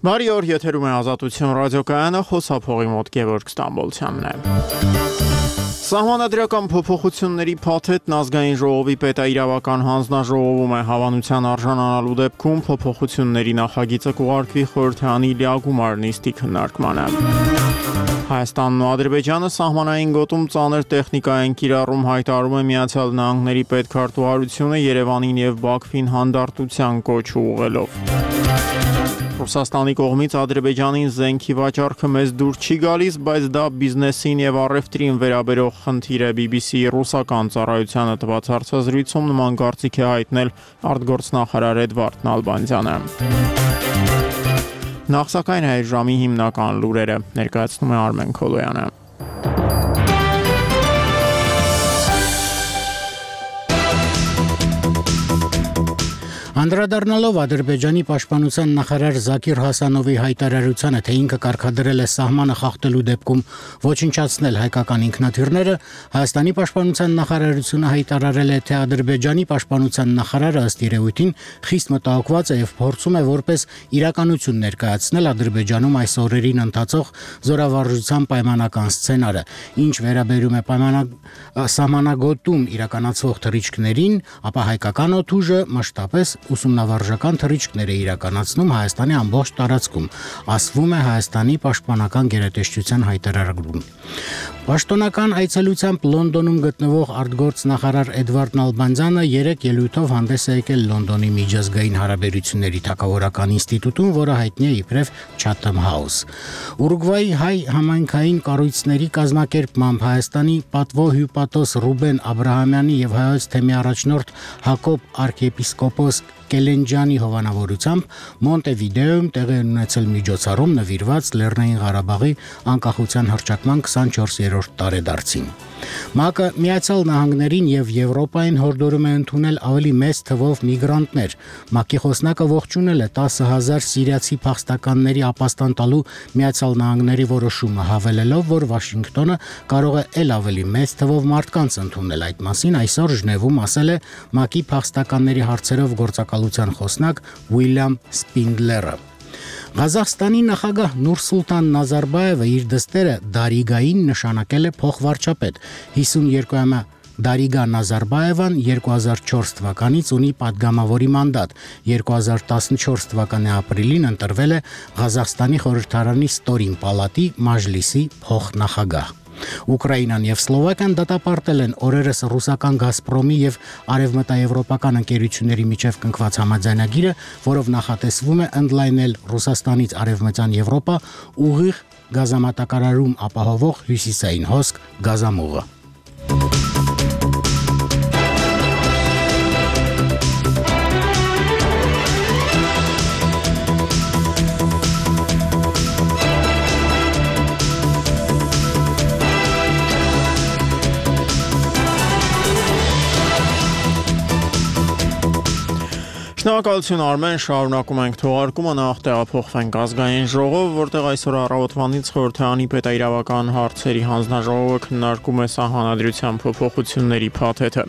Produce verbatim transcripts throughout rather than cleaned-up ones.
Բարի օր, եթերում է Ազատություն ռադիոկայանը, խոսափողի մոտ Գևորգ Ստամբոլցյանն է։ Սահմանադրական փոփոխությունների փաթեթն ազգային ժողովի պետաիրավական հանձնաժողովում է հավանության արժանանալու դեպքում փոփոխությունների նախագիծը կուղարկվի խորհրդարանի լիագումար նիստի քննարկմանը։ Հայաստանն ու Ադրբեջանը սահմանային գոտում ծանր տեխնիկա են կիրառում, հայտարարում է Միացյալ Նահանգների պետքարտուղարությունը Երևանին եւ Բաքվին հանդարտության կոչ ուղղելով։ Ռուսաստանի կողմից Ադրբեջանին զենքի վաճառքը մեզ դուր չի գալիս, բայց դա բիզնեսին եւ առևտրին վերաբերող խնդիր է։ բի բի սի-ի ռուսական ծառայությանը տված հարցազրույցում նման կարծիք է հայտնել արտգործնախարար Էդվարդ Նալբանդյանը։ Նախ սակայն այս ժամի հիմնական լուրերը ներկայացնում է Արմեն Քոլոյանը։ Անդրադառնալով Ադրբեջանի պաշտպանության նախարար Զաքիր Հասանովի հայտարարությանը, թե ինքը կարգադրել է սահմանը խախտելու դեպքում ոչնչացնել հայկական ինքնաթիռները, Հայաստանի պաշտպանության նախարարությունը հայտարարել է, թե Ադրբեջանի պաշտպանության նախարարը ըստ երևույթին խիստ մտահոգված է եւ փորձում է որպես իրականություն ներկայացնել Ադրբեջանում այս օրերին ընթացող զորավարժության պայմանական սցենարը, ինչ վերաբերում է պայմանակ սահմանագոտում իրականացվող թռիչքներին, ապա հայկական օդուժը մշտապես ուսումնավարժական թռիչքներ է իրականացնում Հայաստանի ամբողջ տարածքում, ասվում է Հայաստանի պաշտպանական գերատեսչության հայտարարում։ Պաշտոնական այցելությամբ Լոնդոնում գտնվող արտգործնախարար Էդվարդ Նալբանդյանը երեք ելույթով հանդես է եկել Լոնդոնի միջազգային հարաբերությունների թագավորական ինստիտուտում, որը հայտնի է իբրև Chatham House։ Ուրուգվայի հայ համայնքային կառույցների կազմակերպմամբ Հայաստանի պատվո հյուպատոս Ռուբեն Աբրահամյանի եւ հայոց թեմի առաջնորդ Հակոբ արքեպիսկոպոս Կելենջյանի հովանավորությամբ Մոնտեվիդեոյում տեղի ունեցել միջոցառում նվիրված Լեռնային Ղարաբաղի անկախության հռչակման քսանչորսերորդ տարեդարձին։ ՄԱԿ-ը Միացյալ Նահանգներին եւ Եվրոպային հորդորում է ընդունել ավելի մեծ թվով միգրանտներ։ ՄԱԿ-ի խոսնակը ողջունել է տասը հազար սիրիացի փախստականների ապաստան տալու Միացյալ Նահանգների որոշումը, հավելելով, որ Վաշինգտոնը կարող է ել ավելի մեծ թվով մարդկանց ընդունել։ Այդ մասին այսօր Ժնևում ասել է ՄԱԿ-ի փախստականների հարցերով գործակալության խոսնակ Ուիլյամ Սպինդլերը։ Ղազախստանի նախագահ Նուրսուլտան Նազարբաևը իր դստերը Դարիգային նշանակել է փոխվարչապետ։ հիսունյոթամյա Դարիգա Նազարբաևան երկու հազար չորս թվականից ունի падգամավորի մանդատ։ երկու հազար տասնչորս թվականի ապրիլին ընտրվել է Ղազախստանի խորհրդարանի ստորին պալատի Մաժլիսի փոխնախագահ։ Ուկրաինան եւ Սլովակիան դատապարտել են օրերս ռուսական Գազպրոմի եւ արևմտաեվրոպական ընկերությունների միջև կնքված համաձայնագիրը, որով նախատեսվում է ընդլայնել Ռուսաստանից արևմտյան Եվրոպա ուղիղ գազամատակարարում ապահովող հյուսիսային հոսք գազամուղը։ Շնորհակալություն Արմեն, շարունակում ենք թողարկումը, նախ տեղափոխվենք ազգային ժողով, որտեղ այսօր առավոտվանից խորհրդարանի պետաիրավական հարցերի հանձնաժողովը քննարկում է սահմանադրության փոփոխությունների փաթեթը։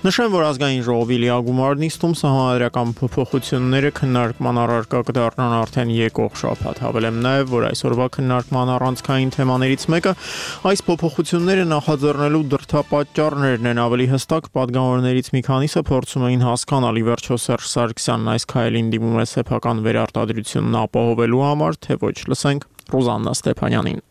Նշեմ, որ ազգային ժողովի լիագումար նիստում սահմանադրական փոփոխությունները քննարկման առարկա կդառնան արդեն եկող շաբաթ։ Հավելեմ նաև, որ այսօրվա քննարկման առանցքային թեմաներից մեկը այս փոփոխությունները նախաձեռնելու դրդապատճառներն են։ Ավելի հստակ, падգամավորներից մի քանիսը փորձում էին հասկանալ ի վերջո Սերժ Սարգսյանն այս քայլին դիմում է սեփական վերարտադրությունն ապահովելու համար, թե ոչ, լսենք Ռոզաննա Ստեփանյանին։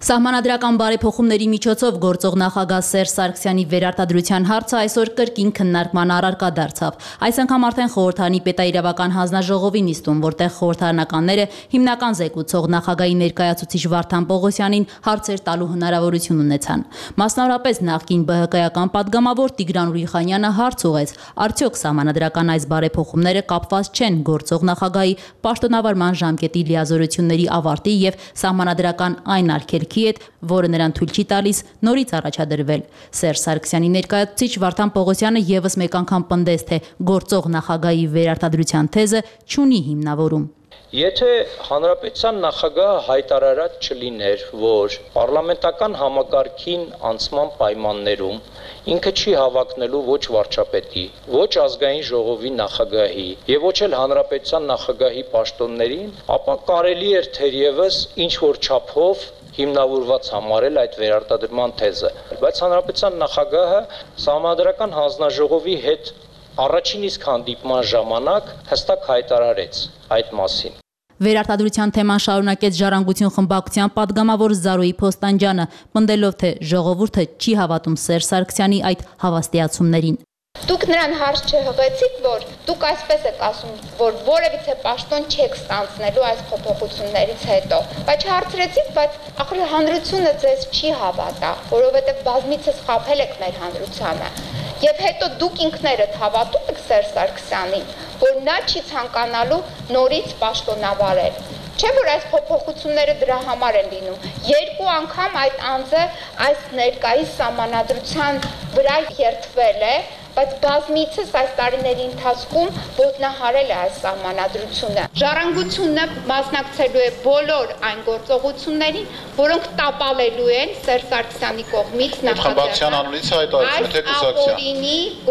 Սահմանադրական բարեփոխումների միջոցով գործող նախագահ Սերժ Սարգսյանի վերարտադրության հարցը այսօր կրկին քննարկման առարկա դարձավ։ Այս անգամ արդեն խորհրդարանի պետաիրավական հանձնաժողովի նիստում, որտեղ խորհրդարանականները հիմնական զեկուցող նախագահի ներկայացուցիչ Վարդան Պողոսյանին հարցեր տալու հնարավորություն ունեցան։ Մասնավորապես նախկին бэ հը կայական падգամավոր Տիգրան Ուրիխանյանը հարց ուղեց, արդյոք սահմանադրական այս բարեփոխումները կապված չեն գործող նախագահի պաշտոնավարման ժամկետի լիազորությունների ավարտի եւ սահմանադրական այն արգելքի հետ, որը նրան թույլ չի տալիս նորից առաջադրվել։ Սերժ Սարգսյանի ներկայացուցիչ Վարդան Պողոսյանը եւս մեկ անգամ պնդեց, թե գործող նախագահի վերարտադրության թեզը չունի հիմնավորում։ Եթե հանրապետության նախագահը հայտարարած չլիներ, որ պարլամենտական համակարգին անցման պայմաններում ինքը չի հավակնելու ոչ վարչապետի, ոչ ազգային ժողովի նախագահի եւ ոչ էլ հանրապետության նախագահի պաշտոններին, ապա կարելի էր թերևս ինչ որ չափով հիմնավորված համարել այդ վերարտադրման թեզը, բայց հանրապետության նախագահը Սահմանադրական հանձնաժողովի հետ առաջին իսկ հանդիպման ժամանակ հստակ հայտարարեց այդ մասին։ Վերարտադրության թեման շարունակեց Ժառանգություն խմբակցության պատգամավոր Զարուհի Փոստանջյանը, պնդելով, թե ժողովուրդը չի հավատում Սերժ Սարգսյանի այդ հավաստիացումներին։ Դուք նրան հարց չհղեցիք, որ դուք այսպես եք ասում, որ որևիցե պաշտոն չեք ստանձնելու այս փոփոխություններից հետո, բայց հարցրեցիք, բայց ախր հանրությունը ձեզ չի հավատա, որովհետև բազմիցս խաբել եք մեր հանրությանը։ Եվ հետո դուք ինքներդ հավատում եք Սերժ Սարգսյանին, որ նա չի ցանկանալու նորից պաշտոնավարել։ Չէ՞ որ այս փոփոխությունները դրա համար են լինում։ Երկու անգամ այդ անձը այս ներկայիս սահմանադրության վրա երթվել է, բայց բազմիցս այս տարիների ընթացքում ոտնահարել է այս սահմանադրությունը։ Ժառանգությունը մասնակցելու է բոլոր այն գործողություններին, որոնք տապալելու են Սերժ Սարգսյանի կողմից նախաձեռնված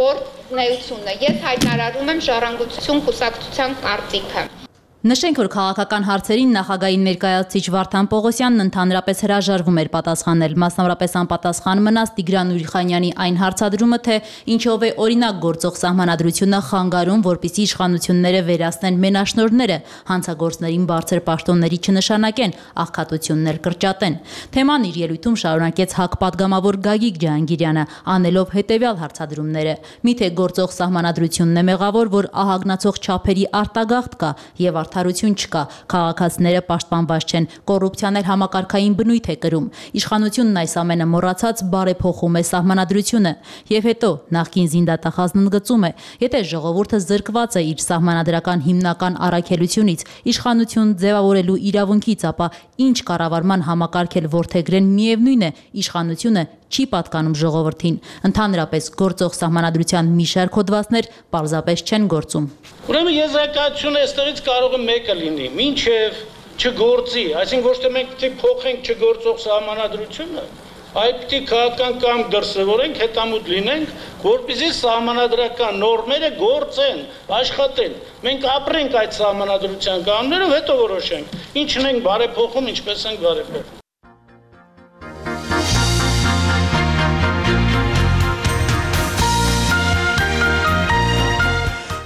գործունեությունը։ Ես հայտարարում եմ Ժառանգություն կուսակցության կարծիքը։ Նշենք, որ քաղաքական հարցերին նախագահային ներկայացուցիչ Վարդան Պողոսյանն ընդհանրապես հրաժարվում էր պատասխանել, մասնավորապես անպատասխան մնաց Տիգրան Ուրիխանյանի այն հարցադրումը, թե ինչով է օրինակ գործող սահմանադրությունը խանգարում, որպիսի իշխանությունները վերացնեն մենաշնորհները, հանցագործներին բարձր պաշտոնների չնշանակեն, աղքատություններ կրճատեն։ Թեման իր ելույթում շարունակեց ՀԱԿ պատգամավոր Գագիկ Ջահանգիրյանը, անելով հետևյալ հարցադրումները։ Միթե գործող սահմանադրությունն է մեղավոր, որ ահագնացող չափերի արտագաղթ կա եւ արդարություն չկա, քաղաքացիները պաշտպանված չեն, կոռուպցիան էլ համակարգային բնույթ է կրում։ Իշխանությունն այս ամենը մոռացած բարեփոխում է սահմանադրությունը։ Եվ հետո նախկին զինդատախազն ընդգծում է, եթե ժողովուրդը զրկված է իր սահմանադրական հիմնական առաքելությունից, իշխանություն ձևավորելու իրավունքից, ապա ինչ կառավարման համակարգ էլ որդեգրեն, միևնույն է, իշխանությունը չի պատկանում ժողովրդին։ Ընդհանրապես գործող սահմանադրության մի շարք հոդվածներ պարզապես չեն գործում։ Ուրեմն եզրակացությունը այստեղից կարող է մեկը լինի, մինչև չգործի, այսինքն ոչ թե մենք պետք է փոխենք չգործող սահմանադրությունը, այլ պետք է քաղաքական կամք դրսևորենք, հետամուտ լինենք, որպեսզի սահմանադրական նորմերը գործեն, աշխատեն։ Մենք ապրենք այդ սահմանադրության կանոններով, հետո որոշենք, ինչն ենք բարեփոխում, ինչպես ենք բարեփոխում։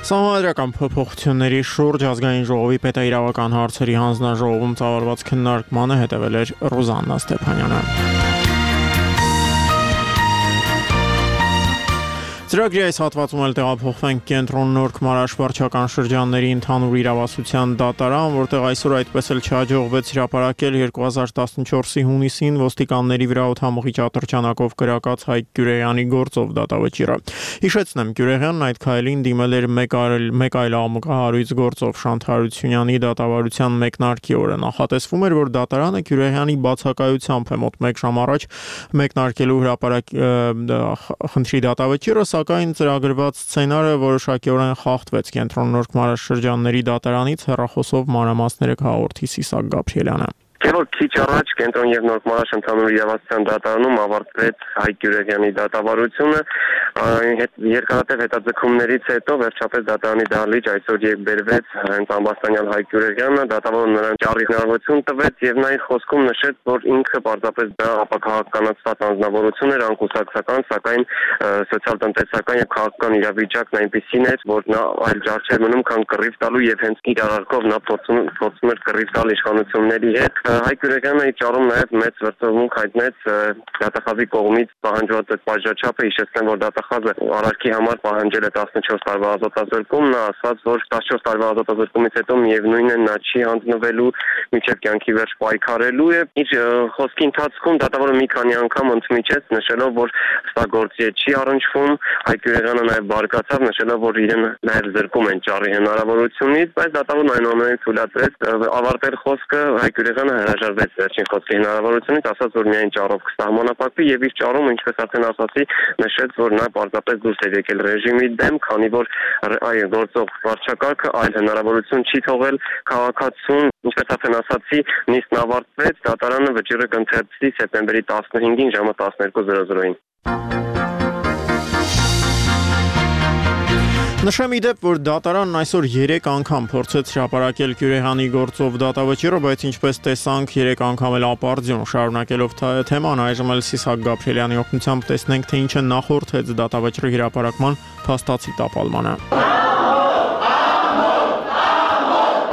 Սահմանադրական փոփոխությունների շուրջ ազգային ժողովի պետաիրավական հարցերի հանձնաժողովում ծավալված քննարկմանը հետևել էր Ռուզաննա Ստեփանյանը։ Ծրագրի այս հատվածում էլ տեղափոխվենք կենտրոն Նոր Քմարաշ վարչական շրջանների ընդհանուր իրավասության դատարան, որտեղ այսօր այդպես էլ չհաջողվեց հրապարակել երկու հազար տասնչորսի հունիսին ոստիկանների վրա օդամուղի ատրճանակով կրակած Հայկ Գյուրեյանի գործով դատավճիռը։ Հիշեցնեմ, Գյուրեյանն այդ քայլին դիմել էր մեկ այլ մեկ այլ աղմուկահարույց գործով Շանթ Հարությունյանի դատավարության մեկնարկի օրը։ Նախատեսվում էր, որ դատարանը Գյուրեյանի բացակայությամբ է մոտ մեկ ժամ առաջ մեկնարկելու հրապարակ խնդրի դատավճիռը, սակայն ծրագրված սցենարը որոշակիորեն խախտվեց։ Կենտրոն Նոր Քմարաշ շրջանների դատարանից հեռախոսով մանրամասները կհաղորդի Սիսակ Գաբրիելյանը։ Որ քիչ առաջ կենտրոն եւ Նոր Քմարաշ ընդհանուր իրավասության դատարանում ավարտվեց Հայկ Գյուրեյանի դատավարությունը, երկարատև հետաձգումներից հետո վերջապես դատարանի դահլիճ այսօր եկբերվեց հենց ամբաստանյալ Հայկ Գյուրեյանը, դատավորը նրան ճառի հնարավորություն տվեց եւ նա իր խոսքում նշեց, որ ինքը պարզապես դա ապակահականացված անձնավորություն էր, անկուսակցական, սակայն սոցիալ-տնտեսական եւ քաղաքական իրավիճակն այնպեսին էր, որ նա այլ ճար չէր մնում, քան կռիվ տալու եւ հենց իր արարքով նա փորձում փորձում էր կռիվ տալ իշխանությունների հետ։ Հայկ Գյուրեյանը իր ճառում նաև մեծ վրդովմունք հայտնեց դատախազի կողմից պահանջված այդ բաժաչափը, հիշեցնեմ, որ դատախազը արարքի համար պահանջել է տասնչորս տարվա ազատազրկում, նա ասաց, որ տասնչորս տարվա ազատազրկումից հետո միևնույն է նա չի հանձնվելու մինչև կյանքի վերջ պայքարելու է։ Իր խոսքի ընթացքում դատավորը մի քանի անգամ ընդմիջեց, նշելով, որ սա գործի չի առնչվում, Հայկ Գյուրեյանը նաև բարկացավ, նշելով, որ իրեն նաև զրկում են ճառի հնարավորությունից, բայց դատավորն այնուամենայնիվ թույլատրեց ավարտել խոսքը, Հայկ Գյուրեյանը հրաժարվեց վերջին խոսքի հնարավորությունից, ասաց, որ միայն ճառով կսահմանափակվի եւ իր ճառում, ինչպես արդեն ասացի, նշեց, որ նա պարզապես դուրս է եկել ռեժիմի դեմ, քանի որ այ գործող վարչակարգը այլ հնարավորություն չի թողել քաղաքացուն, ինչպես արդեն ասացի, նիստն ավարտվեց, դատարանը վճիռը կընթերցի սեպտեմբերի տասնհինգին ժամը տասներկու զրո զրոյին։ Նշեմ ի դեպ, որ դատարանն այսօր երեք անգամ փորձեց հրապարակել Գյուրեհանի գործով դատավճիռը, բայց ինչպես տեսանք, երեք անգամ էլ ապարդյուն շարունակելով թեման, այժմ էլ Սիսակ Գաբրիելյանի օգնությամբ տեսնենք, թե ինչը նախորդեց դատավճիռի հրապարակման փաստացի տապալմանը։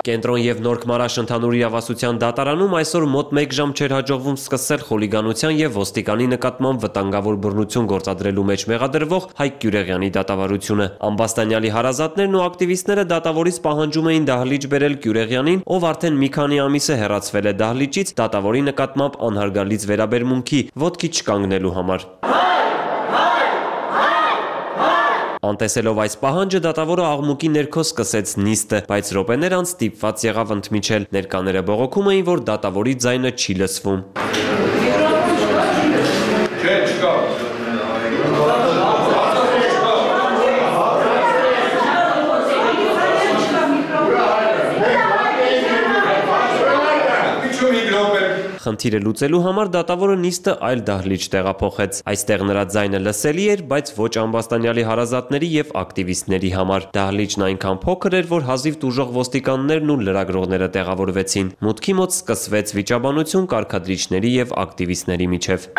Կենտրոն եւ Նոր Քմարաշ ընդհանուր իրավասության դատարանում այսօր մոտ մեկ ժամ չէր հաջողվում սկսել խուլիգանության եւ ոստիկանի նկատմամբ վտանգավոր բռնություն գործադրելու մեջ մեղադրվող Հայկ Գյուրեղյանի դատավարությունը։ Ամբաստանյալի հարազատներն ու ակտիվիստները դատավորից պահանջում էին դահլիճ բերել Գյուրեղյանին, ով արդեն մի քանի ամիս է հեռացվել է դահլիճից դատավորի նկատմամբ անհարգալից վերաբերմունքի, ոտքի չկանգնելու համար։ Անտեսելով այս պահանջը դատավորը աղմուկի ներքո սկսեց նիստը, բայց րոպեներ անց ստիպված եղավ ընդմիջել։ Ներկաները բողոքում էին, որ դատավորի ձայնը չի լսվում։ Չէ, չկա։ Խնդիրը լուծելու համար դատավորը նիստը այլ դահլիճ տեղափոխեց։ Այստեղ նրա ձայնը լսելի էր, բայց ոչ ամբաստանյալի հարազատների եւ ակտիվիստների համար։ Դահլիճն այնքան փոքր էր, որ հազիվ տուժող ոստիկաններն ու լրագրողները տեղավորվեցին։ Մուտքի մոտ սկսվեց վիճաբանություն կարգադրիչների եւ ակտիվիստների միջև։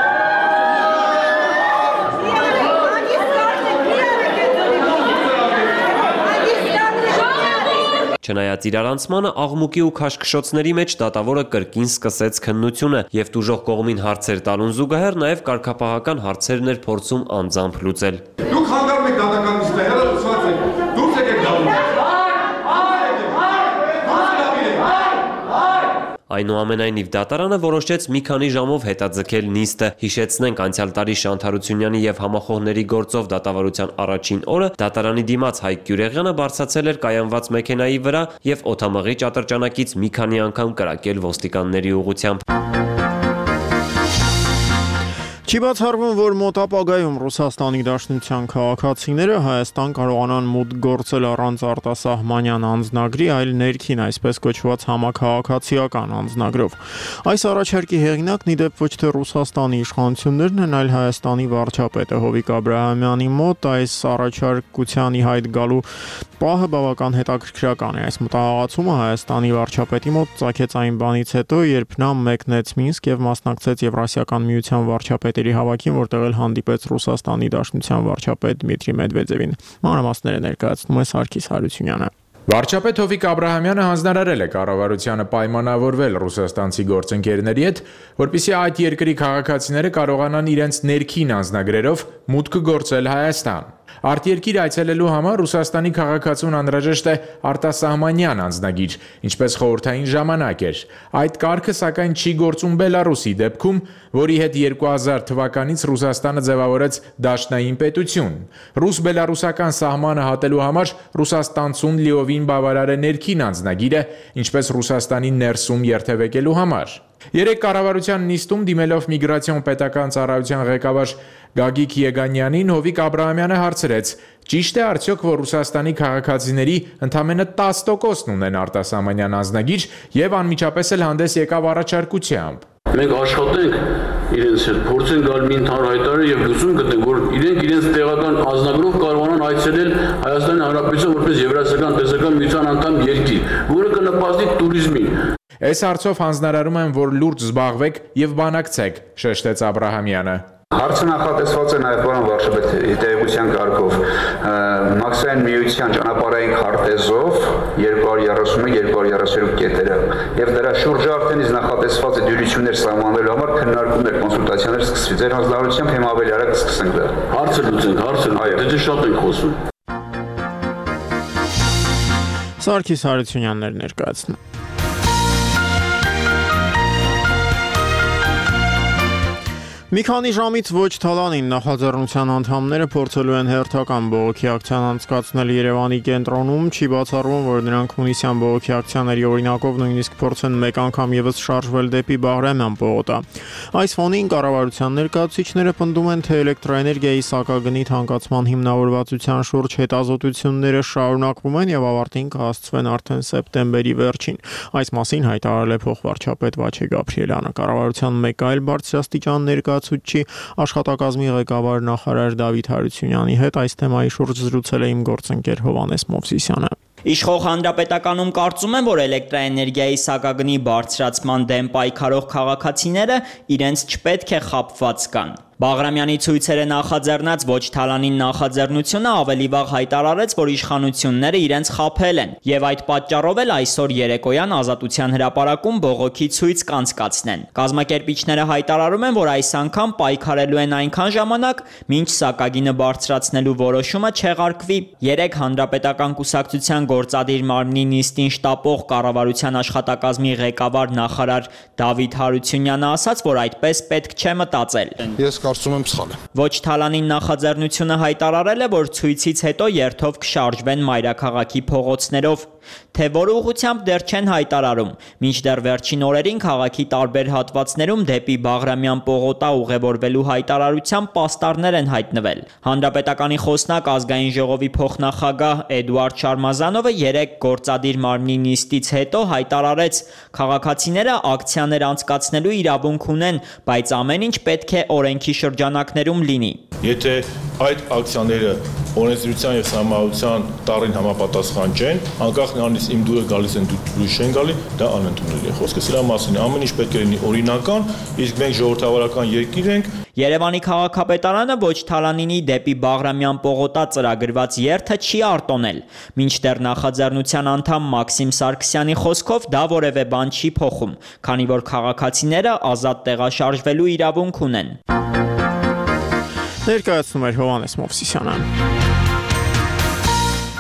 Չնայած իրարանցմանը աղմուկի ու քաշքշոցների մեջ դատավորը կրկին սկսեց քննությունը եւ տուժող կողմին հարցեր տալուն զուգահեռ նաեւ կարգապահական հարցերն էր փորձում անձամբ լուծել։ Դուք հանգարում եք դատականից հեռը լուսված եք, դուրս եկեք դատում։ Այնուամենայնիվ դատարանը որոշեց մի քանի ժամով հետաձգել նիստը։ Հիշեցնենք, անցյալ տարի Շանթ Հարությունյանի եւ համախոհների գործով դատավարության առաջին օրը դատարանի դիմաց Հայկ Գյուրեղյանը բարձրացել էր կայանված մեքենայի վրա եւ օդամղիչ ատրճանակից մի քանի անգամ կրակել ոստիկանների ուղղությամբ։ Չի բացառվում, որ մոտ ապագայում Ռուսաստանի Դաշնության քաղաքացիները Հայաստան կարողանան մուտք գործել առանց արտասահմանյան անձնագրի, այլ ներքին, այսպես կոչված համաքաղաքացիական անձնագրով։ Այս առաջարկի հեղինակն ի դեպ ոչ թե Ռուսաստանի իշխանություններն են, այլ Հայաստանի վարչապետը Հովիկ Աբրահամյանի մոտ այս առաջարկության ի հայտ գալու պահը բավական հետաքրքրական է։ Այս մտահղացումը Հայաստանի վարչապետի մոտ ծագեց այն բանից հետո, երբ նա մեկնեց Մինսկ եւ մասնակցեց Եվրասիական միության վարչապետերի հավաքին, որտեղ էլ հանդիպեց Ռուսաստանի Դաշնության վարչապետ Դմիտրի Մեդվեդևին։ Մանրամասները ներկայացնում է Սարգիս Հարությունյանը։ Վարչապետ Հովիկ Աբրահամյանը հանձնարարել է կառավարությանը պայմանավորվել ռուսաստանցի գործընկերների հետ, որպեսզի այդ երկրի քաղաքացիները կարողանան իրենց ներքին անձնագրերով մուտք գործել Հայաստան։ Արտերկիր այցելելու համար Ռուսաստանի քաղաքացուն անհրաժեշտ է արտասահմանյան անձնագիր, ինչպես խորհրդային ժամանակ էր։ Այդ կարգը սակայն չի գործում Բելարուսի դեպքում, որի հետ երկու հազար թվականից Ռուսաստանը ձևավորեց դաշնային պետություն։ Ռուս-բելարուսական սահմանը հատելու համար Ռուսաստանցուն լիովին բավարար է ներքին անձնագիրը, ինչպես Ռուսաստանի ներսում երթևեկելու համար։ Երեք կառավարության նիստում դիմելով միգրացիոն պետական ծառայության ղեկավար Գագիկ Եգանյանին Հովիկ Աբրահամյանը հարցրեց. ճիշտ է արդյոք, որ Ռուսաստանի քաղաքացիների ընդամենը տասը տոկոսն ունեն արտասահմանյան անձնագիր եւ անմիջապես էլ հանդես եկավ առաջարկությամբ։ Մենք աշխատենք իրենց հետ, փորձենք գալ մի ընդհանուր հայտարարություն եւ լուծում գտնենք, որ իրենք իրենց տեղական անձնագրով կարողանան այցելել Հայաստանի Հանրապետություն որպես Եվրասիական տնտեսական միության անդամ երկիր, որը կնպաստի туриզմին։ Այս հարցով հանձնարարում եմ, որ լուրջ զբաղվեք եւ բանակցեք, շեշտեց Աբրահամյանը։ Հարցը նախատեսված է նաև պարոն վարչապետ տեղեկության կարգով մաքսային միության ճանապարհային քարտեզով երկու հազար երեսունմեկ երկու հազար երեսունհինգ կետերը եւ դրա շուրջ արդեն իսկ նախատեսված է դյուրություններ սահմանելու համար քննարկումներ, կոնսուլտացիաներ սկսվի։ Ձեր հանձնարարությամբ հիմա ավելի արագ կսկսենք դա։ Հարցը լուծենք, հարցը այո, դե շատ ենք խոսում։ Սարգիս Հարությունյաններ ներկայացնում։ Մի քանի ժամից ոչ Թալանին նախաձեռնության անդամները փորձելու են հերթական բողոքի ակցիան անցկացնել Երևանի կենտրոնում, չի բացառվում, որ նրանք հունիսյան բողոքի ակցիաների օրինակով նույնիսկ փորձեն մեկ անգամ եւս շարժվել դեպի Բաղրամյան պողոտա։ Այս ֆոնին կառավարության ներկայացուցիչները պնդում են, թե էլեկտրոէներգիայի սակագնի թանկացման հիմնավորվածության շուրջ հետազոտությունները շարունակվում են եւ ավարտին կհասցվեն արդեն սեպտեմբերի վերջին։ Այս մասին հայտարարել է փոխվարչապետ Վաչե Գաբրիելյանը։ Կառավարության մեկ այլ բարձրաստիճան ներկայացուցիչ աշխատակազմի ղեկավար նախարար Դավիթ Հարությունյանի հետ այս թեմայի շուրջ զրուցել է իմ գործընկեր Հովհաննես Մովսիսյանը։ Իշխող հանրապետականում կարծում են, որ էլեկտրաէներգիայի սակագնի բարձրացման դեմ պայքարող քաղաքացիները իրենց չպետք է խաբված կան։ Բաղրամյանի ցույցերը նախաձեռնած ոչ Թալանին նախաձեռնությունը ավելի վաղ հայտարարեց, որ իշխանությունները իրենց խաբել են եւ այդ պատճառով էլ այսօր երեկոյան Ազատության հրապարակում բողոքի ցույց կանցկացնեն։ Կազմակերպիչները հայտարարում են, որ այս անգամ պայքարելու են այնքան ժամանակ, մինչ սակագինը բարձրացնելու որոշումը չեղարկվի։ Երեք հանրապետական կուսակցության գործադիր մարմնի նիստին շտապող կառավարության աշխատակազմի ղեկավար նախարար Դավիթ Հարությունյանը ասաց, որ այդպես պետք չէ մտածել։ Ես կարծում եմ սխալ է։ Ոչ Թալանին նախաձեռնությունը հայտարարել է, որ ցույցից հետո երթով կշարժվեն մայրաքաղաքի փողոցներով, թե որ ուղղությամբ դեռ չեն հայտարարում։ Մինչդեռ վերջին օրերին քաղաքի տարբեր հատվածներում դեպի Բաղրամյան պողոտա ուղևորվելու հայտարարությամբ պաստառներ են հայտնվել։ Հանրապետականի խոսնակ ազգային ժողովի փոխնախագահ Էդուարդ Շարմազանովը երեք գործադիր մարմնի նիստից հետո հայտարարեց, քաղաքացիները ակցիաներ անցկացնելու իրավունք ունեն, բայց ամեն ինչ պետք է օրենքի շրջանակներում լինի։ Եթե այդ ակցիաները օրենսդրության եւ սահմանության տառին համապատասխան չեն, անկախ նրանից իմ դուրը գալիս են դուրս չեն գալի, դա անընդունելի է։ Խոսքը սրա մասին է, ամեն ինչ պետք է լինի օրինական, իսկ մենք ժողովրդավարական երկիր ենք։ Երևանի քաղաքապետարանը ոչ Թալանինի դեպի Բաղրամյան պողոտա ծրագրված երթը չի արտոնել։ Մինչդեռ նախաձեռնության անդամ Մաքսիմ Սարգսյանի խոսքով դա որևէ բան չի փոխում, քանի որ քաղաքացիները ազատ տեղաշարժվելու իրավունք ունեն։ Ներկայացնում էր Հովհաննես Մովսիսյանը։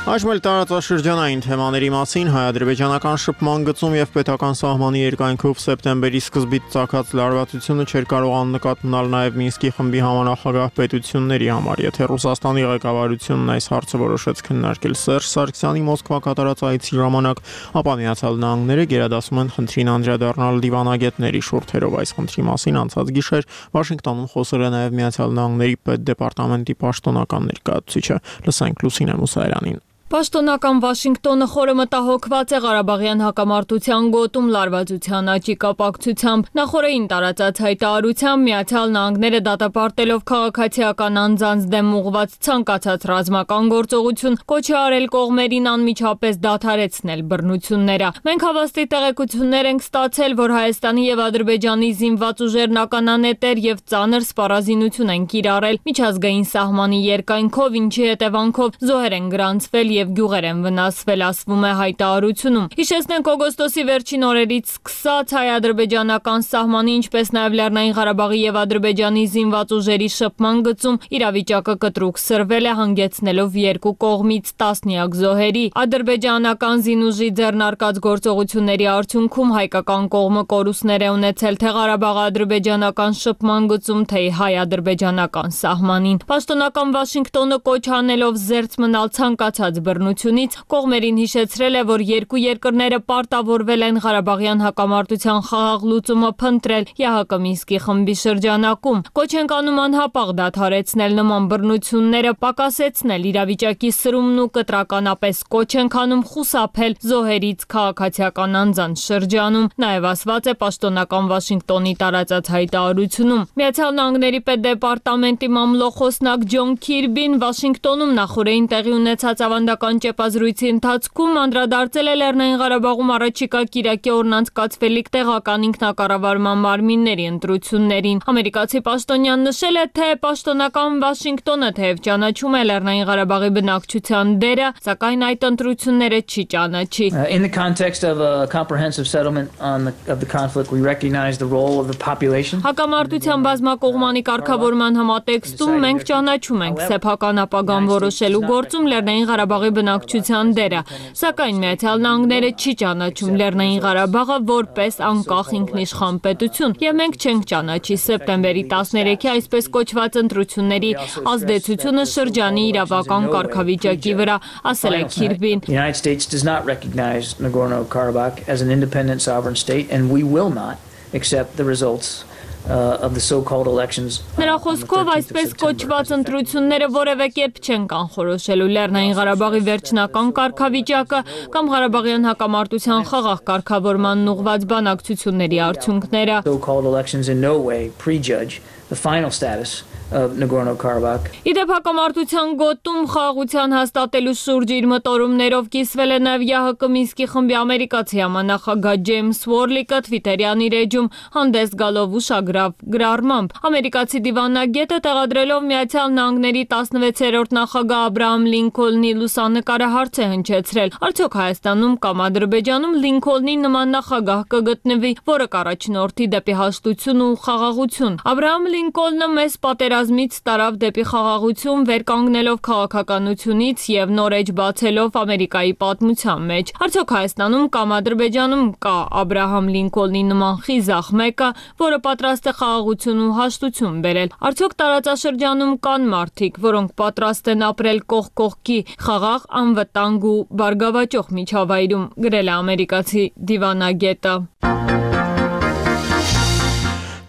Այժմ էլ տարածաշրջանային թեմաների մասին հայ-ադրբեջանական շփման գծում եւ պետական սահմանի երկայնքով սեպտեմբերի սկզբից ծագած լարվածությունը չէր կարող աննկատ մնալ նաեւ Մինսկի խմբի համանախագահ պետությունների համար, եթե Ռուսաստանի ղեկավարությունն այս հարցը որոշեց քննարկել Սերժ Սարգսյանի Մոսկվա կատարած այցի ժամանակ, ապա Միացյալ Նահանգները գերադասում են խնդրին անդրադառնալ դիվանագետների շուրթերով։ Այս խնդրի մասին անցած գիշեր Վաշինգտոնում խոսել է նաեւ Միացյալ Նահանգների պետդեպարտամենտի պաշտոնական ներկայացուցիչը։ Լսենք Լուսինե Մուսայելյանին։ Պաշտոնական Վաշինգտոնը խորը մտահոգված է Ղարաբաղյան հակամարտության գոտում լարվածության աճի կապակցությամբ։ Նախորդին տարածած հայտարարությամբ Միացյալ Նահանգները դատապարտելով քաղաքացիական անձանց դեմ ուղղված ցանկացած ռազմական գործողություն կոչ է արել կողմերին անմիջապես դադարեցնել բռնությունները։ Մենք հավաստի տեղեկություններ ենք ստացել, որ Հայաստանի եւ Ադրբեջանի զինված ուժերն ականանետեր եւ ծանր սպառազինություն են կիրառել միջազգային սահմանի երկայնքով, ինչի հետևանքով զոհեր են գրանցվել եւ գյուղեր են վնասվել, ասվում է հայտարարությունում։ Հիշեցնենք, օգոստոսի վերջին օրերից սկսած հայ-ադրբեջանական սահմանի, ինչպես նաեւ Լեռնային Ղարաբաղի եւ Ադրբեջանի զինված ուժերի շփման գծում իրավիճակը կտրուկ սրվել է, հանգեցնելով երկու կողմից տասնյակ զոհերի։ Ադրբեջանական զինուժի ձեռնարկած գործողությունների արդյունքում հայկական կողմը կորուստներ է ունեցել թե Ղարաբաղի ադրբեջանական շփման գծում, թե հայ-ադրբեջանական սահմանին։ Պաշտոնական Վաշինգտոնը կոչ անելով զերծ մնալ ցանկացած բռնությունից կողմերին հիշեցրել է, որ երկու երկրները պարտավորվել են Ղարաբաղյան հակամարտության խաղաղ լուծումը փնտրել ԵԱՀԿ Մինսկի խմբի շրջանակում։ Կոչ են անում անհապաղ դադարեցնել նման բռնությունները, պակասեցնել իրավիճակի սրումն ու կտրականապես կոչ են անում խուսափել զոհերից քաղաքացիական անձանց շրջանում։ Նաև ասված է պաշտոնական Վաշինգտոնի տարածած հայտարարությունում։ Միացյալ Նահանգների պետդեպարտամենտի մամլոխոսնակ Ջոն Քիրբին Վաշինգտոնում նախորդին տեղի ունեցած ավանդական ճեպազրույցի ընթացքում անդրադարձել է Լեռնային Ղարաբաղում առաջիկա կիրակի օրնանցկացվելիք տեղական ինքնակառավարման մարմինների ընտրություններին։ Ամերիկացի պաշտոնյան նշել է, թե պաշտոնական Վաշինգտոնը թեև ճանաչում է Լեռնային Ղարաբաղի բնակչության դերը, սակայն այդ ընտրությունները չի ճանաչի։ In the context of a comprehensive settlement on the of the conflict, we recognize the role of the population. Հակամարտության բազմակողմանի կարգավորման համատեքստում մենք ճանաչում ենք սեփական ապագան որոշելու գործում Լեռնային Ղարաբաղի Ղարաբաղի բնակչության դերը, սակայն Միացյալ Նահանգները չի ճանաչում Լեռնային Ղարաբաղը որպես անկախ ինքնիշխան պետություն, եւ մենք չենք ճանաչի սեպտեմբերի տասներեքի այսպես կոչված ընտրությունների ազդեցությունը շրջանի իրավական կարգավիճակի վրա, ասել է Քիրբին. The United States does not recognize Nagorno-Karabakh as an independent sovereign state, and we will not accept the results uh, of the so-called elections. Նրա խոսքով այսպես կոչված ընտրությունները որևէ կերպ չեն կանխորոշելու Լեռնային Ղարաբաղի վերջնական կարգավիճակը կամ Ղարաբաղյան հակամարտության խաղաղ կարգավորման ուղղված բանակցությունների արդյունքները. So-called elections in no way prejudge the final status of Nagorno-Karabakh. Իդեպ հակամարտության գոտում խաղաղության հաստատելու շուրջ իր մտորումներով կիսվել է նաև ԵԱՀԿ Մինսկի խմբի ամերիկացի համանախագահ Ջեյմս Ուորլիկը Թվիտերյան իր էջում հանդես գալով ուշագրավ գրառմամբ։ Ամերիկացի դիվանագետը տեղադրելով Միացյալ Նահանգների տասնվեցերորդ նախագահ Աբրահամ Լինքոլնի լուսանկարը հարց է հնչեցրել. Արդյոք Հայաստանում կամ Ադրբեջանում Լինքոլնի նման նախագահ կգտնվի, որը կառաջնորդի դեպի հաշտություն ու խաղաղություն։ Աբրահամ Լինքոլնը մեծ պատերազմից տարավ դեպի խաղաղություն, վեր կանգնելով քաղաքականությունից եւ նոր էջ բացելով Ամերիկայի պատմության մեջ։ Արդյոք Հայաստանում կամ Ադրբեջանում կա Աբրահամ Լինքոլնի նման խիզախ մեկը, որը պատրաստ է խաղաղություն ու հաշտություն բերել։ Արդյոք տարածաշրջանում կան մարդիկ, որոնք պատրաստ են ապրել կողք կողքի խաղաղ, անվտանգ ու բարգավաճող միջավայրում, գրել է ամերիկացի դիվանագետը։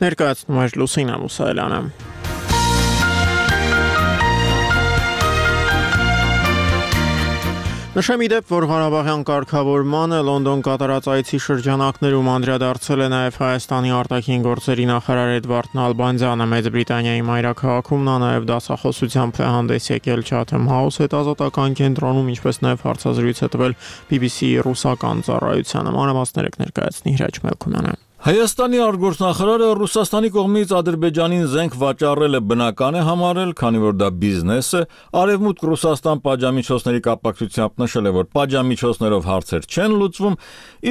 Ներկայացնում է Լուսինա Մուսայելյանը։ Նշեմ իդեպ, որ Ղարաբաղյան կարգավորմանը Լոնդոն կատարած այցի շրջանակներում անդրադարձել է նաև Հայաստանի արտաքին գործերի նախարար Էդվարդ Նալբանդյանը։ Մեծ Բրիտանիայի մայրաքաղաքում նա նաև դասախոսությամբ է հանդես եկել Chatham House հետազոտական կենտրոնում, ինչպես նաև հարցազրույց է տվել B B C-ի ռուսական ծառայությանը։ Մանրամասները կներկայացնի Հրաչ Մելքումյանը։ Հայաստանի արտգործնախարարը Ռուսաստանի կողմից Ադրբեջանին զենք վաճառելը բնական է համարել, քանի որ դա բիզնես է, Արևմուտք Ռուսաստան պատժամիջոցների կապակցությամբ նշել է, որ պատժամիջոցներով հարցեր չեն լուծվում,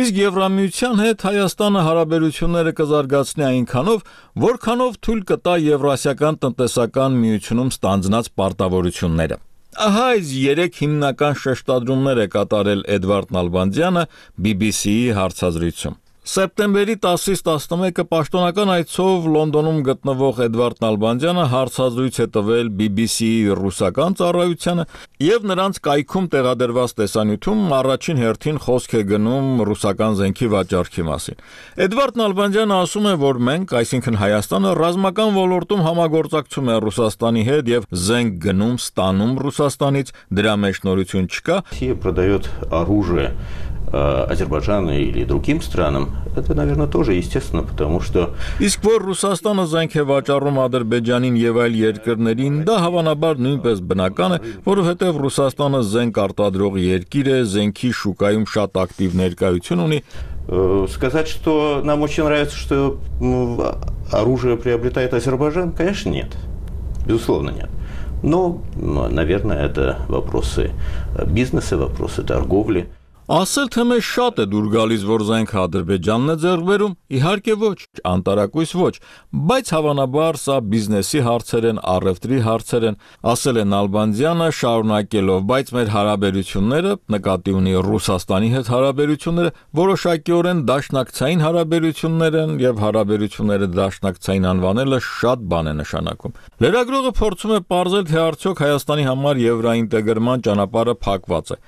իսկ Եվրամիության հետ Հայաստանը հարաբերությունները կզարգացնի այնքանով, որքանով թույլ կտա Եվրասիական տնտեսական միությունում ստանձնած պարտավորությունները։ Ահա այս երեք հիմնական շեշտադրումներ է կատարել Էդվարդ Նալբանդյանը B B C-ի հարցազրույցում։ Սեպտեմբերի տասից տասնմեկը պաշտոնական այցով Լոնդոնում գտնվող Էդվարդ Նալբանդյանը հարցազրույց է տվել B B C-ի ռուսական ծառայությանը եւ նրանց կայքում տեղադրված տեսանյութում առաջին հերթին խոսք է գնում ռուսական զենքի վաճառքի մասին։ Էդվարդ Նալբանդյանը ասում է, որ մենք, այսինքն Հայաստանը, ռազմական ոլորտում համագործակցում է Ռուսաստանի հետ եւ զենք գնում, ստանում Ռուսաստանից, դրա մեջ նորություն չկա։ Россия продает оружие Азербайджану или другим странам, это, наверное, тоже естественно, потому что Իսկ որ Ռուսաստանը զենք է վաճառում Ադրբեջանին եւ այլ երկրներին, դա հավանաբար նույնպես բնական է, որովհետեւ Ռուսաստանը զենք արտադրող երկիր է, զենքի շուկայում շատ ակտիվ ներկայություն ունի։ Сказать, что нам очень нравится, что оружие приобретает Азербайджан, конечно, нет. Безусловно, нет. Но, наверное, это вопросы бизнеса, вопросы торговли. Ասել թե մեզ շատ է դուր գալիս, որ զենքը Ադրբեջանն է ձեռք բերում, իհարկե ոչ, անտարակույս ոչ, բայց հավանաբար սա բիզնեսի հարցեր են, առևտրի հարցեր են, ասել է Նալբանդյանը շարունակելով, բայց մեր հարաբերությունները, նկատի ունի Ռուսաստանի հետ հարաբերությունները, որոշակիորեն դաշնակցային հարաբերություններ են եւ հարաբերությունները դաշնակցային անվանելը շատ բան է նշանակում։ Լրագրողը փորձում է պարզել, թե արդյոք Հայաստանի համար եվրոինտեգրման ճանապարհը փակված է։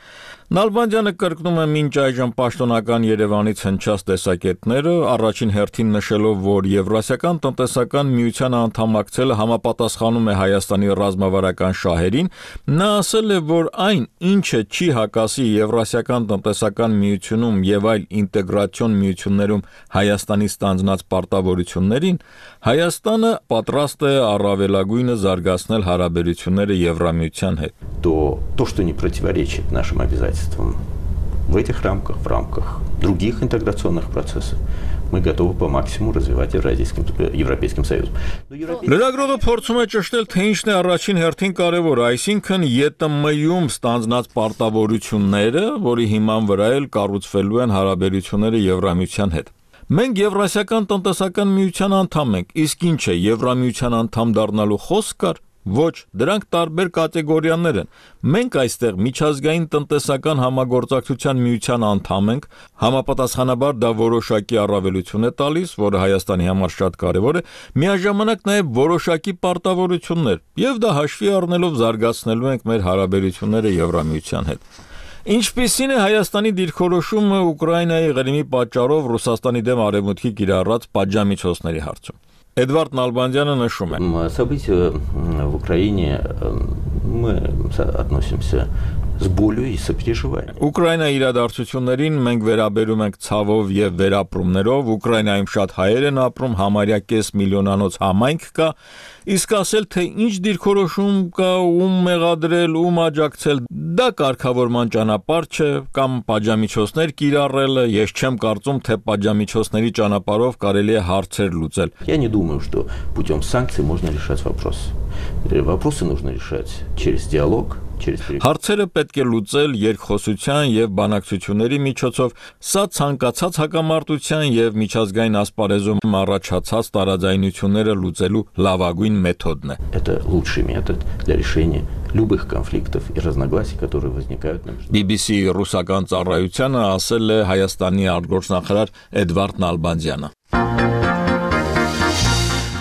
Նալբանդյանը կրկնում է մինչ այժմ պաշտոնական Երևանից հնչած տեսակետները, առաջին հերթին նշելով, որ Եվրասիական տնտեսական միության անդամակցելը համապատասխանում է Հայաստանի ռազմավարական շահերին, նա ասել է, որ այն, ինչը չի հակասի Եվրասիական տնտեսական միությունում եւ այլ ինտեգրացիոն միություններում Հայաստանի ստանձնած պարտավորություններին, Հայաստանը պատրաստ է առավելագույնը զարգացնել հարաբերությունները Եվրամիության հետ։ То, то, что не противоречит нашим обязательствам в этих рамках, в рамках других интеграционных процессов, мы готовы по максимуму развивать Евразийским, Европейским Союзом. Լրագրողը փորձում է ճշտել, թե ինչն է առաջին հերթին կարևոր, այսինքն Ե Տ Մ-ում ստանձնած պարտավորությունները, որի հիման վրա էլ կառուցվելու են հարաբերությունները Եվրամիության հետ։ Մենք Եվրասիական տնտեսական միության անդամ ենք, իսկ ինչ է Եվրամիության անդամ դառնալու խոսք կար, Ոչ, դրանք տարբեր կատեգորիաներ են։ Մենք այստեղ միջազգային տնտեսական համագործակցության միության անդամ ենք, համապատասխանաբար դա որոշակի առավելություն է տալիս, որը Հայաստանի համար շատ կարևոր է, միաժամանակ նաև որոշակի պարտավորություններ, եւ դա հաշվի առնելով զարգացնելու ենք մեր հարաբերությունները Եվրամիության հետ։ Ինչպիսին է Հայաստանի դիրքորոշումը Ուկրաինայի Ղրիմի պատճառով Ռուսաստանի դեմ արևմուտքի կիրառած պատժամիջոցների հարցում։ Էդվարդ Նալբանդյանը նշում է. События в Украине мы относимся с болью и сопереживанием. Ուկրաինայի իրադարձություններին մենք վերաբերում ենք ցավով եւ վերապրումներով, Ուկրաինայում շատ հայեր են ապրում, համարյա կես միլիոնանոց համայնք կա, իսկ ասել թե ինչ դիրքորոշում կա, ում մեղադրել, ում աջակցել, դա կարգավորման ճանապարհ չէ, կամ պատժամիջոցներ կիրառելը, ես չեմ կարծում, թե պատժամիջոցների ճանապարհով կարելի է հարցեր լուծել։ Я не думаю, что путем санкций можно решать вопрос. Вопросы нужно решать через диалог. Հարցերը պետք է լուծել երկխոսության եւ բանակցությունների միջոցով, սա ցանկացած հակամարտության եւ միջազգային ասպարեզում առաջացած տարաձայնությունները լուծելու լավագույն մեթոդն է։ Это лучший метод для решения любых конфликтов и разногласий, которые возникают на B B C ռուսական ծառայությանը ասել է Հայաստանի արտգործնախարար Էդվարդ Նալբանդյանը։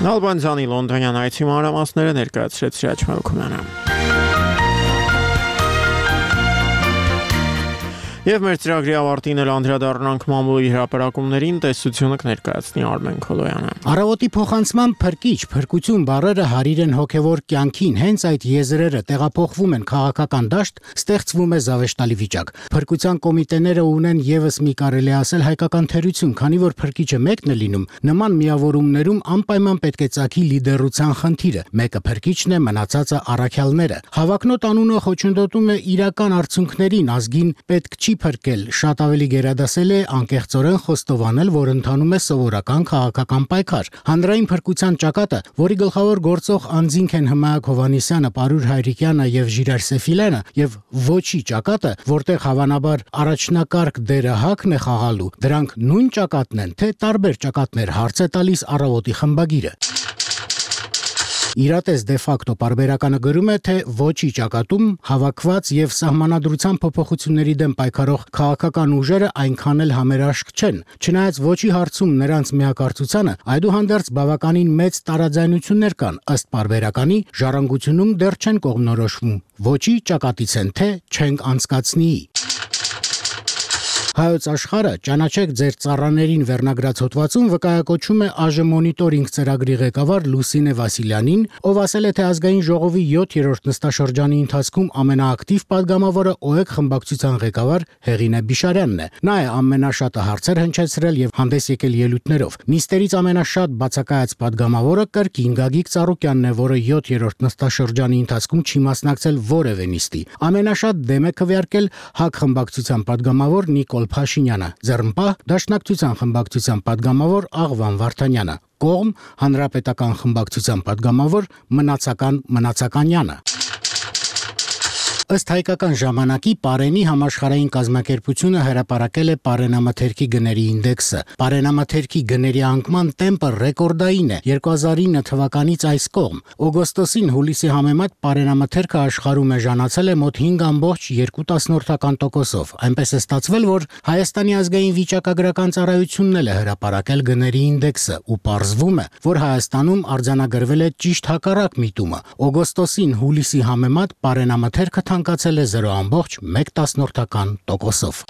Նալբանդյանի լոնդոնյան այցի մանրամասները ներկայացրեց Սիրաչ Մելքումյանը։ Եվ մեր ծրագրի ավարտին էլ անդրադառնանք մամուլի հրապարակումներին, տեսությունը կներկայացնի Արմեն Քոլոյանը։ Առավոտի փոխանցման փրկիչ, փրկություն բառերը հարիր են հոգևոր կյանքին, հենց այդ եզրերը տեղափոխվում են քաղաքական դաշտ, ստեղծվում է զավեշտալի վիճակ։ Փրկության կոմիտեները ունեն եւս մի կարելի ասել հայկական թերություն, քանի որ փրկիչը մեկն է լինում, նման միավորումներում անպայման պետք է ծագի լիդերության խնդիրը։ Մեկը փրկիչն է, մնացածը առաքյալները։ Հավակնոտ անունը խոչընդոտում է իրական արդյունքներին, ազգին պետք չի փրկել, շատ ավելի գերադասել է անկեղծորեն խոստովանել, որ ընթանում է սովորական քաղաքական պայքար։ Հանրային փրկության ճակատը, որի գլխավոր գործող անձինք են Հմայակ Հովհաննիսյանը, Պարուր Հայրիկյանը եւ Ժիրայր Սեֆիլյանը, եւ ոչի ճակատը, որտեղ հավանաբար առաջնակարգ դերը հակն է խաղալու, դրանք նույն ճակատն են, թե տարբեր ճակատներ, հարց է տալիս Առավոտի խմբագիրը։ Իրատես դե ֆակտո պարբերականը գրում է, թե ոչի ճակատում հավաքված եւ սահմանադրության փոփոխությունների դեմ պայքարող քաղաքական ուժերը այնքան էլ համերաշխ չեն։ Չնայած ոչի հարցում նրանց միակարծությանը, այդուհանդերձ բավականին մեծ տարաձայնություններ կան, ըստ պարբերականի ժառանգությունում դեռ չեն կողմնորոշվում։ Ոչի ճակատից են, թե չենք անցկացնի։ Հայոց աշխարհը ճանաչեք ձեր ծառաներին վերնագրած հոդվածում վկայակոչում է ԱԺ մոնիտորինգ ծրագրի ղեկավար Լուսինե Վասիլյանին, ով ասել է, թե ազգային ժողովի յոթերորդ նստաշրջանի ընթացքում ամենաակտիվ падգամավորը ՕԵԿ խմբակցության ղեկավար Հեղինե Բիշարյանն է։ Նա է ամենաշատը հարցեր հնչեցրել եւ հանդես եկել ելույթներով։ Նիստերից ամենաշատ բացակայած падգամավորը կրկին Գագիկ Ծառուկյանն է, որը յոթերորդ նստաշրջանի ընթացքում չի մասնակցել որևէ նիստի։ Ամենաշատ դեմ է քվեարկել ՀԱԿ խմբակցության падգամավոր Նիկոլ Փաշինյանը, ձեռնպահ Դաշնակցության խմբակցության падգամավոր Աղվան Վարդանյանը, կողմ Հանրապետական խմբակցության падգամավոր Մնացական Մնացականյանը։ Ըստ հայկական ժամանակի Պարենի համաշխարհային կազմակերպությունը հրապարակել է Պարենամթերքի գների ինդեքսը։ Պարենամթերքի գների անկման տեմպը ռեկորդային է երկու հազար ինը թվականից այս կողմ։ Օգոստոսին հուլիսի համեմատ Պարենամթերքը աշխարհում էժանացել է մոտ հինգ ամբողջ երկու տոկոսով։ Այնպես է ստացվել, որ Հայաստանի ազգային վիճակագրական ծառայությունն էլ է հրապարակել գների ինդեքսը ու պարզվում է, որ Հայաստանում արձանագրվել է ճիշտ հակառակ միտումը։ Օգոստոսին հուլիսի համեմատ Պարենամթերքը ցանկացել է զրո ամբողջ մեկ տոկոսով։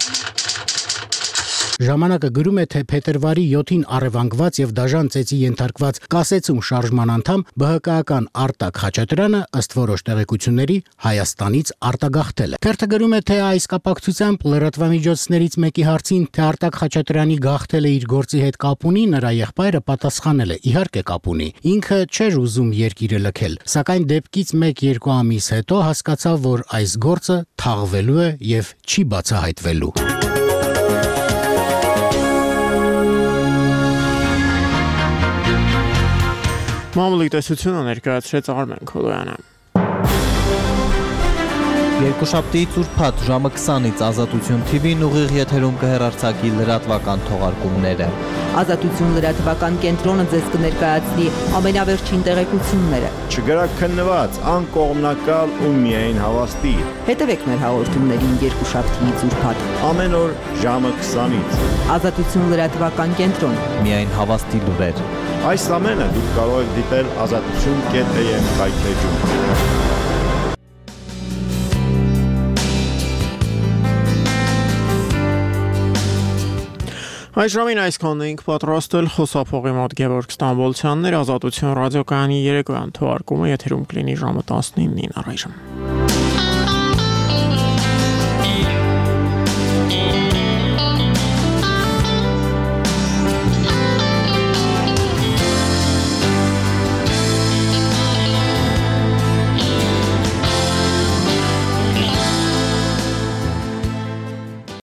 Ժամանակը գրում է, թե փետրվարի յոթին առևանգված եւ դաժան ծեծի ենթարկված կասեցում շարժման անդամ ԲՀԿ-ական Արտակ Խաչատրյանը ըստ որոշ տեղեկությունների Հայաստանից արտագաղթել է։ Թերթը գրում է, թե այս կապակցությամբ լրատվամիջոցներից մեկի հարցին, թե Արտակ Խաչատրյանի գաղթելը իր գործի հետ կապ ունի, նրա եղբայրը պատասխանել է. իհարկե կապ ունի։ Ինքը չէր ուզում երկիրը լքել, սակայն դեպքից մեկ-երկու ամիս հետո հասկացավ, որ այս գործը թաղվելու է եւ չի բացահայտվելու։ Մամուլի տեսությունը ներկայացրեց Արմեն Քոլոյանը։ Երկուշաբթի ծուրփաթ ժամը քսանից Ազատություն Թի Վին ուղիղ եթերում կհեռարձակի լրատվական թողարկումները։ Ազատություն լրատվական կենտրոնը ձեզ կներկայացնի ամենավերջին տեղեկությունները։ Չգրակ քննված, անկողմնակալ ու միայն հավաստի։ Հետևեք մեր հաղորդումներին երկուշաբթի ծուրփաթ։ Ամեն օր ժամը քսանից։ Ազատություն լրատվական կենտրոն։ Միայն հավաստի լուրեր։ Այս ամենը դուք կարող եք դիտել ազատություն կետ էյ էմ հայթեջում։ Այս ժամին այսքանն էինք պատրաստել, խոսափողի մոտ Գևորգ Ստամբոլցյանն էր, Ազատություն ռադիոկայանի երեկոյան թողարկումը եթերում կլինի ժամը տասնինին առայժմ։